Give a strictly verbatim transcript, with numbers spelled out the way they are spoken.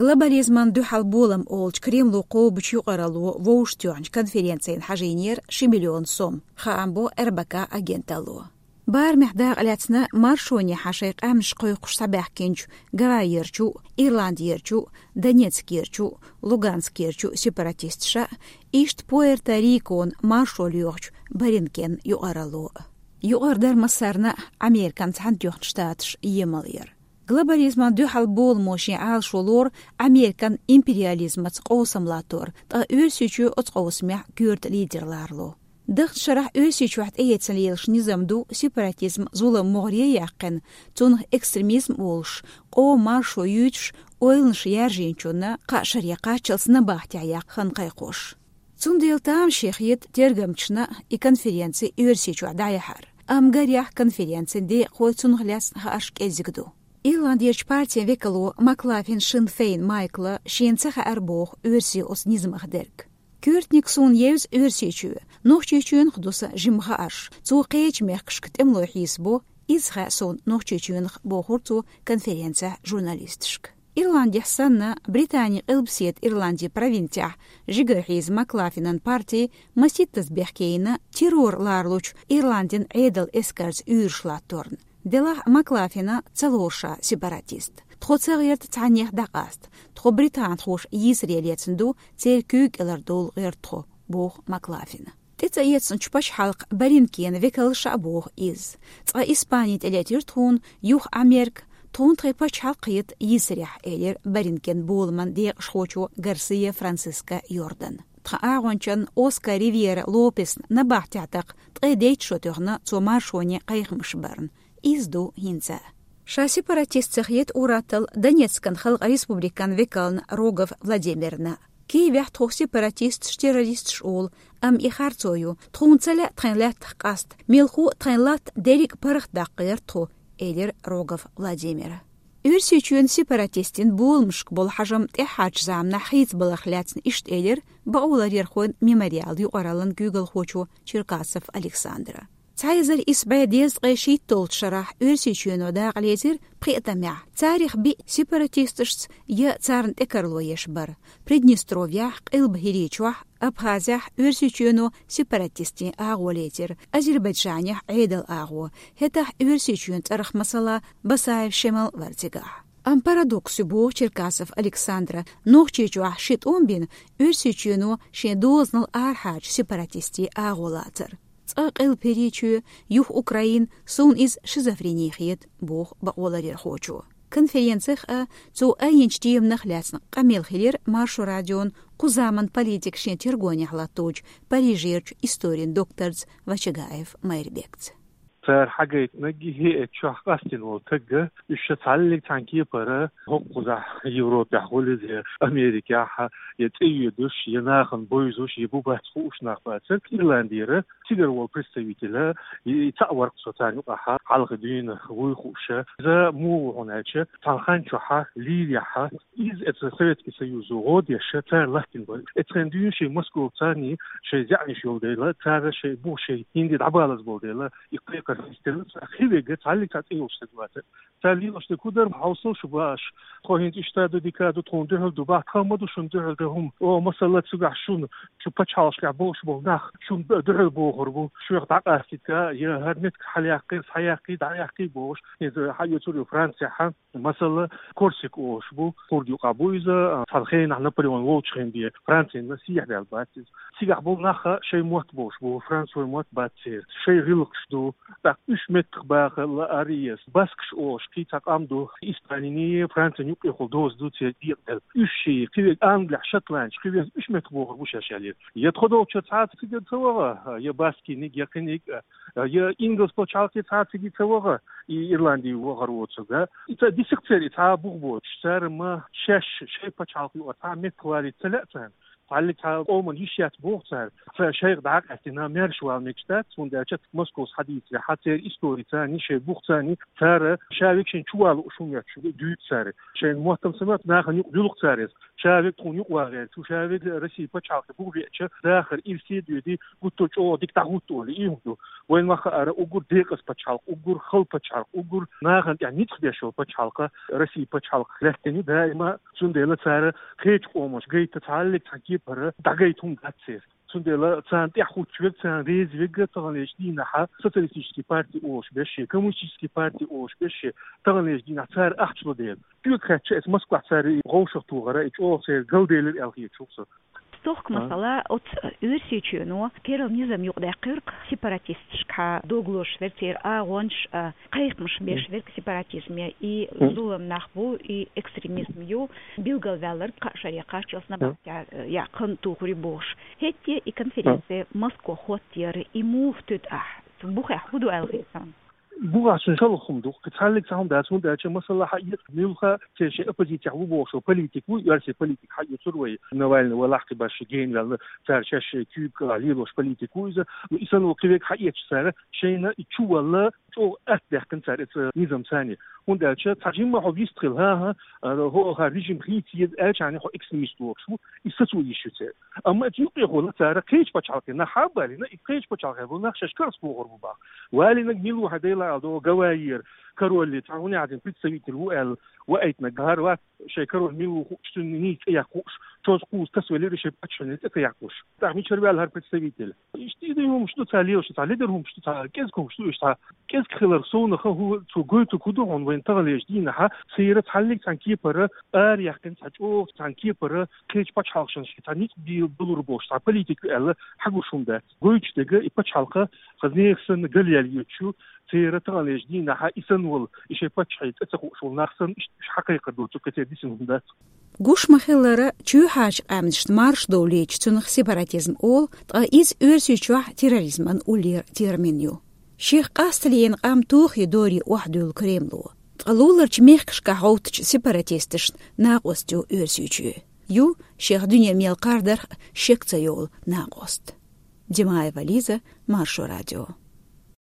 Глобализман дуьхьал болам олучу Кремло кхобучу юкъаралло вовшахтоьхначу конференцина хьажийнера ши миллион сом, хаам бо РБК агенталло. Барамехь дакъа лаьцна маршонехьа шайн къаьмнаш кхойкхуш схьабаьхкинчу Гавайерчу, Ирландерчу, Донецкерчу, Луганскерчу сепаратисташа, иштта Пуэрто-Рикона маршо лоьхучу Баринкен юкъаралло. Юкъара дара массарна а Американ Цхьаьнатоьхна Штаташ емал яр. Глобализман дуьхьал боламо шен Ӏалашо лору Американ империализмаца къовсам латтор, ткъа Оьрсийчоь оцу къовсамехь коьрта лидер ларло. Даханчу шарахь Оьрсийчохь тӀеэцна лелаш низам ду сепаратизм, зулам могӀаре а яьккхина, цунах экстремизм а олуш, къоман маршо юьйцуш, ойланаш яржийначунна кхаа шаре кхаччалц набахтехь яккха хан кхайкхош. Цундела тамаше хета тергамчашна и конференци Оьрсийчохь дӀаяхьар. Амма гарехь конференцин декъахой, цунах лаьцна хаарш кӀезиг ду. Ирландерчу партин векало Маклафин Шин Фейн Майкла шена ца хаьара боху оьрсийн оцу низамах дерг. Коьртаниг суна евза Оьрсийчоь, Нохчийчоьнах ду сан жима хаарш. Цо кхечу мехкашка тӀемалой хьийсабо, иза хаьа суна Нохчийчоьнах, бохура цо конференцехь журналисташка. Ирландехь санна, Британин къилбаседа Ирландин провинцехь жигара хьийза Маклафинан парти масийттаза бехке йина террор лоруш Ирландин Ӏедалан эскарца уьйраш латторна. Делахь Маклафина ца лору ша сепаратист. Тхо ца гӀерта цхьаннех дӀакъаста. Тхо британхоша йийсаре лецна ду, церан куьйга кӀелара довла гӀерта тхо, боху Маклафина. ТӀе ца эцначу пачхьалкхан Баринкенан векалша а боху иза. Цкъа Испани тӀелетира тхуна, юха Америка, тхуна тхайн пачхьалкх хета йийсарехь, элира Баринкен боламан декъашхочо Гарсия Франциско Йордана. Тхан агӀончан Оскар Ривьера Лопесна набахтехь даккха ткъе дейтта шо тоьхна цо маршоне кхайкхамаш барна. Иза ду хӀинца а. Ша сепаратист ца хета ур-атталла Донецкан Халкъан Республикан векална Рогов Владимирна. Киевехь тхох сепаратисташ, террористаш олу, амма и харцо ю, тхуна ца лаьа тхайн лаьттах къаста, мелхо а тхайн латта дерриг а паргӀат даккха гӀерта тхо, элира Рогов Владимира. Оьрсийчоьнан сепаратистийн боламашка болу хьажам тӀаьххьарчу заманахь хийцабаларх лаьцна иштта элира бакъоларъярхойн Мемориал юкъараллан куьйгалхочо Черкасов Александра. Цхьа эзар исс бӀе дезткъе шийтталгӀачу шарахь Оьрсийчоьно дакъа лецира пхеа тамехь, царах биъ сепаратисташца я царна тӀекарло еш бара. Приднестровьехь, Къилба ХӀирийчохь, Абхазехь Оьрсийчоьно сепаратистийн агӀо лецира, Азербайджанехь Ӏедалан агӀо, хӀетахь Оьрсийчоьнан цӀарах, масала, Басаев Шемал вара цигахь. Амма парадокс ю, боху Черкасов Александра, Нохчийчохь ши тӀом бина, Оьрсийчоьно шен дозанал арахьарчу сепаратистийн агӀо лацар. Цкъа Къилба ХӀирийчоь, юха Украина, суна иза шизофрени хета, боху бакъоларъярхочо. Конференцех а, цо айинчу теманах лаьцна къамел хилира Маршо радион кху заман политика шен тергонехь латточу Парижерчу историн докторца Вачагаев Майрбекца. Цара хьагайтинарг хӀеъ чохь къастина волу тагга, уьш ша цхьаллиг цхьана кепара хӀокхузахь Европехь гӀулиза, Америкехь, я цӀе йоьдуш, я нахана бовзуш, я бу бац хууш нах бацара. Ирландера цигара волу представитель, и цхьаъ вара-кх со царна юкъахь хьалха дуьйна вуй хууша. Иза муха ву хьуна аьлча, цхьана хан чохь Ливехь, иза эца Советский Союзо гӀо деш, цара латтина бара. Эцхен дуьйна шайн Москов царний шайн заьӀнаш йолу дела, цара шайн бу шайн хӀинде дӀабалаза болу дела, и кхайкхар хӀинца делла, цхьа хи вега цхьаллиг цхьа цӀе йолуш стаг вац. Цара лелош дерг хӀун дара, хьовсал шу баш. Тхо хӀинца иштта ду, дика ду, тхуна дуьхьал ду, бах, тхан ма ду шуна дуьхьал дан хӀума. О, масала, цигахь шуна, шу пачхьалкхашкахь болуш болу нах шуна дуьхьал бохур бу, шух дӀакъастийта, я хӀара меттиг хьалаяккхий, схьаяккхий, дӀаяккхий бохуш. ХӀинца хьаоьцур ю Францехь, масала, Корсик олуш бу, кхурда юкъахь бу иза, цхьана хенахь Наполеон волчу хенахь бен Францина сехьадаьлла бац иза. Цигахь болу нах шайн мотт болуш бу, французойн мотт бац церан. Шайн гӀиллакхаш ду, тӀаккха уьш меттах баха лаарий, баскаш олуш кхин цхьа къам ду, Испаниний, Францин юккъехула доза ду церан декъаделла. Уьш ши, кхин верг англехь, шотландцаш, кхин верг уьш меттах бохур бу шаьш аьлла. Я тхо долчуьра цхьа цига ца ваха, я баскиниг, я кхиниг, я ингалс пачхьалкхе цхьа цига ца ваха, и Ирланди вахар воцург, а? И ца дисакх церан и цхьа бух боцуш, цара ма шаьш шайн пачхьалкх юкъара цхьа меттах валийта ца лаьа царна. Цхьаллиг цхьа къоман йиш яц боху цара. Цара шайх дӀакъаьстина, маьрша вала мегаш дац, хӀунда аьлча Москов схьадийцарехь, Цхьа церан истори царна, шоай бух царна, цара ша век шоашта чувала уш хӀума етташ дуьйцу цара. Шоай мотт-м ца мотту нахана юкъа дуьллу цара иза. Ша век тхуна юкъа вагӀа веза, шу ша век Россин пачхьалкхе бух беача, дахар ирсе а доьду, гуттар чӀогӀа дика дӀахӀутту олий, и хӀума ду. Вайна ма хаара, уггар декъаза пачхьалкх, уггар хала пачхьалкх, уггар нахана тӀехь ницкъ беш йолу пачхьалкх, Россин пачхьалкх лаьттина ю даима, цундела цара кхечу къомаша гайта цхьаллиг цхьа кепара дӀагайта хӀума дац церан. Цундела царна тӀехь хӀуттуш верг, царна реза верг таханлерчу дийнахьа социалистический парти олуш берш, коммунистический парти олуш берш, таханлерчу дийнахьа цара ахча ло дела. Чоьга хаьттича, эца Москвахь цара и вовшахтохар, и чӀогӀа церан галделира аьлла хеташ ву со. Стохка масала, оцу Оьрсийчоьно керла низам юкъадаьккхира-кх сепаратисташкахьа дог лозуш верг, церан агӀонаш а, кхайкхамаш беш верг сепаратизме, и зулам нах бу, и экстремизм ю, билгалваьлларг кхаа шаре кхаччалц набахтехь яккха тухур ю бохуш. ХӀетте и конференция Москва хӀоттаяра, и муха тоьту ахь? Цу бухехь хӀун ду аьлла хета хьуна? Бухахь цуьнан шалха хӀума ду, кхин цхьаллиг цхьа хӀума дац, хӀунда аьлча масала хьаэца, муьлхха церан шайн оппозицехь ву бохуш волу политик ву, оьрсийн политик хьаэцура вай, Навальный вай лахкхе башха генаваьлла, цара шаьш куьйга лелош политик ву иза. Ну, и санна волу кхин верг хьаэцча цара, шайна и чувалла чӀогӀа атта даьккхина цара эца низам царна. ХӀунда аьлча цхьа жимма хьо вист хила, хӀан-хӀа, хӀокхара режим хийца еза аьлча, хьан хьо экстремист лоруш ву, и сацо йиш ю церан. Амма эца юкъехула цара кхечу пачхьалкхе нах хьа а балийна, и кхечу пачхьалкхехула нах шаьш карс бохур бу баха. Валийнарг мила ву хьан, Дела Ӏалашо, Гавайера король, цхьа хӀун яхьа дина представитель ву аьлла, ваийтинарг хӀара вац, шайн король мила ву хууш, цуьнан нийса цӀе яккха хууш, чоз кхуза тасавелира, шайн паччахьна цӀе ца яккхуш. ТӀаккха мичара ваьлла хӀара представитель? Иштта и дай хӀумаш ду цхьа лелаш, цхьа ледара хӀумаш ду, цхьа кӀезиг хӀумаш ду, иштта цхьа кӀезиг хиларх совнаха хӀу-, цо гойтург хӀун ду хьуна вайна таханлерчу дийнахьа, церан цхьаллиг цхьана кепара ара яьккхина, цхьа чӀогӀа цхьана кепара кхечу пачхьалкхашна шайн цхьа ницкъ бе-, балур болуш цхьа политик ю аьлла хьагуш хӀума дац. Гойтуш дерг и пачхьалкха хаза нехан санна галъяьлла йоцуш ю, церан таханлерчу дийнахьа и санна волу, и шайн паччахьан цӀе ца хууш волу нах санна, иштта уьш хьакхайкхар доцург кхин церан дисина хӀума дац. Гуш ма-хиллара, чоьхьарчу къаьмнашна марша довлийча цунах сепаратизм олу, ткъа иза Оьрсийчохь терроризман уллера термин ю. Шех къасталлина къам тохий дорий охьадуьллу Кремло. Ткъа луларчу мехкашкахь гӀовттачу сепаратисташна накъост ю Оьрсийчоь. Ю шех дуьне мел кхардарх шек ца йолу накъост. Димаева Лиза, Маршо радио.